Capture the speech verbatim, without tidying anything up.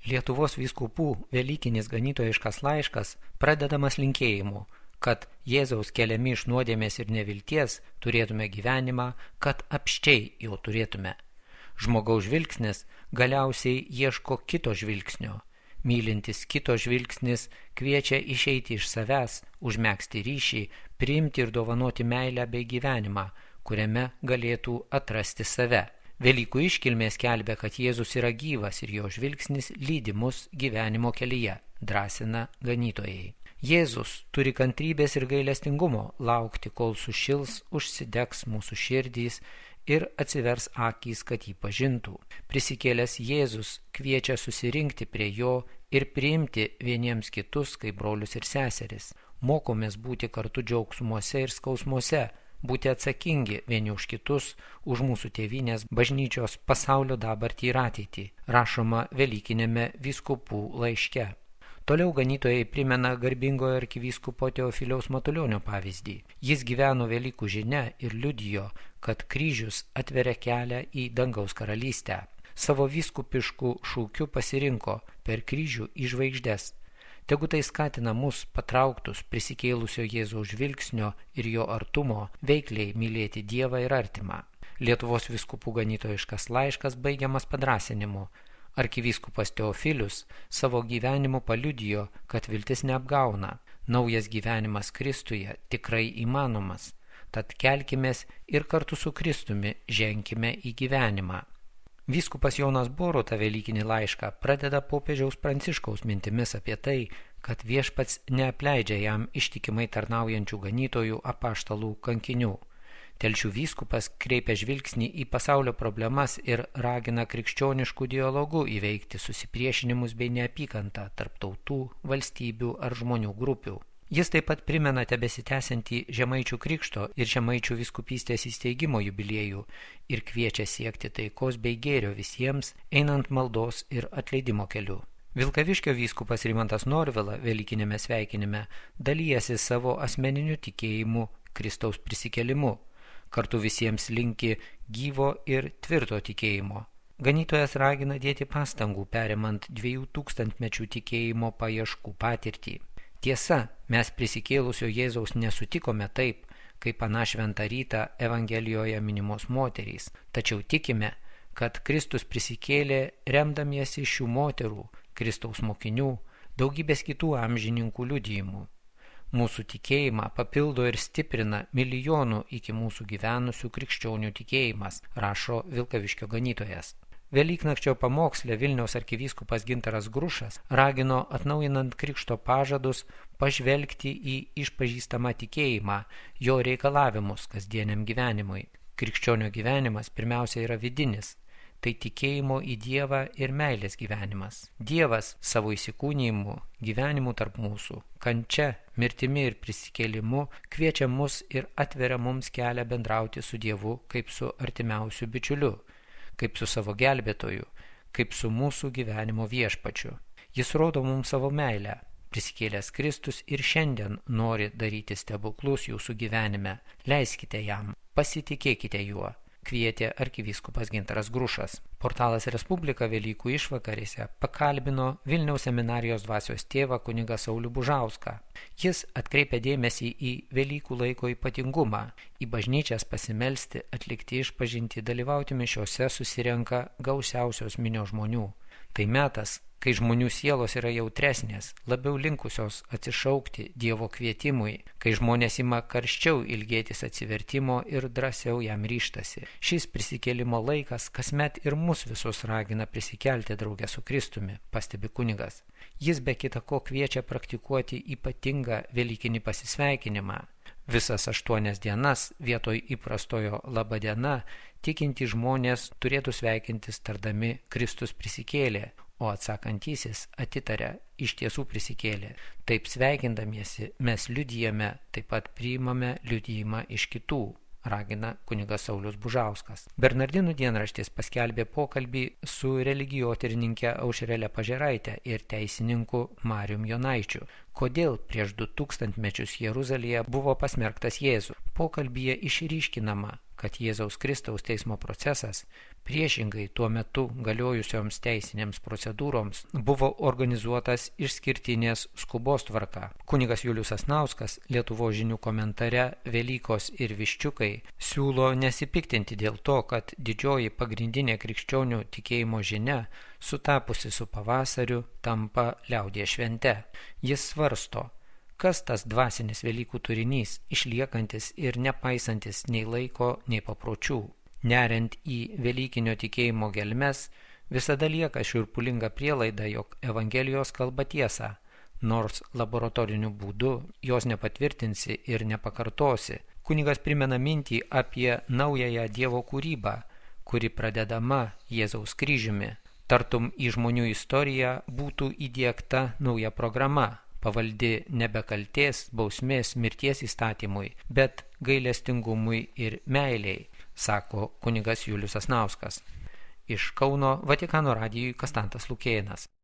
Lietuvos vyskupų velykinis ganytojiškas laiškas pradedamas linkėjimu, kad Jėzaus keliami iš nuodėmės ir nevilties turėtume gyvenimą, kad apsčiai jo turėtume. Žmogaus žvilgsnis galiausiai ieško kito žvilgsnio. Mylintis kito žvilgsnis kviečia išeiti iš savęs, užmegzti ryšį, priimti ir dovanoti meilę bei gyvenimą, kuriame galėtų atrasti save. Velykų iškilmė skelbia, kad Jėzus yra gyvas ir jo žvilgsnis lydi mus gyvenimo kelyje, drąsina ganytojai. Jėzus turi kantrybės ir gailestingumo laukti, kol sušils, užsidegs mūsų širdys ir atsivers akys, kad jį pažintų. Prisikėlęs Jėzus kviečia susirinkti prie jo ir priimti vieniems kitus kaip brolius ir seseris. Mokomės būti kartu džiaugsmuose ir skausmuose, būti atsakingi vieni už kitus, už mūsų tėvynės bažnyčios pasaulio dabartį ir ateitį, rašoma velykinėme vyskupų laiške. Toliau ganytojai primena garbingojo arkivyskupo Teofiliaus Matulionio pavyzdį. Jis gyveno Velykų žinia ir liudijo, kad kryžius atveria kelią į dangaus karalystę. Savo vyskupiškų šūkiu pasirinko per kryžių į žvaigždes. Tegu tai skatina mus patrauktus prisikėlusio Jėzaus žvilgsnio ir jo artumo veikliai mylėti Dievą ir artimą. Lietuvos vyskupų ganytojiškas laiškas baigiamas padrąsinimu. Arkivyskupas Teofilius savo gyvenimu paliudijo, kad viltis neapgauna. Naujas gyvenimas Kristuje tikrai įmanomas. Tad kelkimės ir kartu su Kristumi ženkime į gyvenimą. Vyskupas Jonas Boruta velykinį laišką pradeda popiežiaus Pranciškaus mintimis apie tai, kad viešpats neapleidžia jam ištikimai tarnaujančių ganytojų, apaštalų, kankinių. Telšių vyskupas kreipia žvilgsnį į pasaulio problemas ir ragina krikščioniškų dialogų įveikti susipriešinimus bei neapykantą tarp tautų, valstybių ar žmonių grupių. Jis taip pat primena tebesitęsiantį Žemaičių krikšto ir Žemaičių vyskupystės įsteigimo jubiliejų ir kviečia siekti taikos bei gėrio visiems, einant maldos ir atleidimo keliu. Vilkaviškio vyskupas Rimantas Norvila velykinėme sveikinime dalyjasi savo asmeniniu tikėjimu Kristaus prisikėlimu. Kartu visiems linki gyvo ir tvirto tikėjimo. Ganytojas ragina dėti pastangų perimant dviejų tūkstantmečių tikėjimo paieškų patirtį. Tiesa, mes prisikėlusio Jėzaus nesutikome taip, kaip aną šventą rytą Evangelijoje minimos moterys, tačiau tikime, kad Kristus prisikėlė remdamiesi šių moterų, Kristaus mokinių, daugybės kitų amžininkų liudijimų. Mūsų tikėjimą papildo ir stiprina milijonų iki mūsų gyvenusių krikščionių tikėjimas, rašo Vilkaviškio ganytojas. Velyknakčio pamoksle Vilniaus arkivyskupas Gintaras Grušas ragino atnaujinant krikšto pažadus pažvelgti į išpažįstamą tikėjimą, jo reikalavimus kasdieniam gyvenimui. Krikščionio gyvenimas pirmiausia yra vidinis, tai tikėjimo į Dievą ir meilės gyvenimas. Dievas savo įsikūnijimu, gyvenimu tarp mūsų, kančia, mirtimi ir prisikėlimu kviečia mus ir atveria mums kelią bendrauti su Dievu kaip su artimiausiu bičiuliu, kaip su savo gelbėtoju, kaip su mūsų gyvenimo viešpačiu. Jis rodo mums savo meilę. Prisikėlęs Kristus ir šiandien nori daryti stebuklus jūsų gyvenime. Leiskite jam, pasitikėkite juo, kvietė arkivyskupas Gintaras Grušas. Portalas Respublika Velykų išvakarėse pakalbino Vilniaus seminarijos dvasios tėvą kunigą Saulių Bužauską. Jis atkreipia dėmesį į Velykų laiko ypatingumą, į bažnyčias pasimelsti, atlikti išpažintį, dalyvauti mišiose susirenka gausiausios minios žmonių. Tai metas, kai žmonių sielos yra jautresnės, labiau linkusios atsišaukti Dievo kvietimui, kai žmonės ima karščiau ilgėtis atsivertimo ir drąsiau jam ryžtasi. Šis prisikėlimo laikas kasmet ir mus visus ragina prisikelti drauge su Kristumi, pastebi kunigas. Jis be kita ko kviečia praktikuoti ypatingą velykinį pasisveikinimą. Visas aštuonias dienas vietoj įprastojo laba diena tikinti žmonės turėtų sveikintis tardami Kristus prisikėlė, o atsakantysis atitaria iš tiesų prisikėlė. Taip sveikindamiesi mes liudijame, taip pat priimame liudijimą iš kitų, ragina kunigas Saulius Bužauskas. Bernardinų dienraštis paskelbė pokalbį su religijotyrininkė Aušrele Pažeraite ir teisininku Marium Jonaičiu. Kodėl prieš du tūkstantmečius Jeruzalėje buvo pasmerktas Jėzus? Pokalbyje išryškinama, kad Jėzaus Kristaus teismo procesas, priešingai tuo metu galiojusioms teisinėms procedūroms, buvo organizuotas išskirtinės skubos tvarka. Kunigas Julius Sasnauskas Lietuvos žinių komentare Velykos ir viščiukai siūlo nesipiktinti dėl to, kad didžioji pagrindinė krikščionių tikėjimo žinia, sutapusi su pavasariu, tampa liaudies švente. Jis svarsto, kas tas dvasinis Velykų turinys, išliekantis ir nepaisantis nei laiko, nei papročių. Neriant į velykinio tikėjimo gelmes, visada lieka šiurpulinga prielaida, jog Evangelijos kalba tiesą, nors laboratoriniu būdu jos nepatvirtinsi ir nepakartosi. Kunigas primena mintį apie naująją Dievo kūrybą, kuri pradedama Jėzaus kryžiumi. Tartum į žmonių istoriją būtų įdiegta nauja programa, pavaldi nebe kaltės, bausmės, mirties įstatymui, bet gailestingumui ir meiliai, sako kunigas Julius Sasnauskas. Iš Kauno Vatikano radijui Kastantas Lukėnas.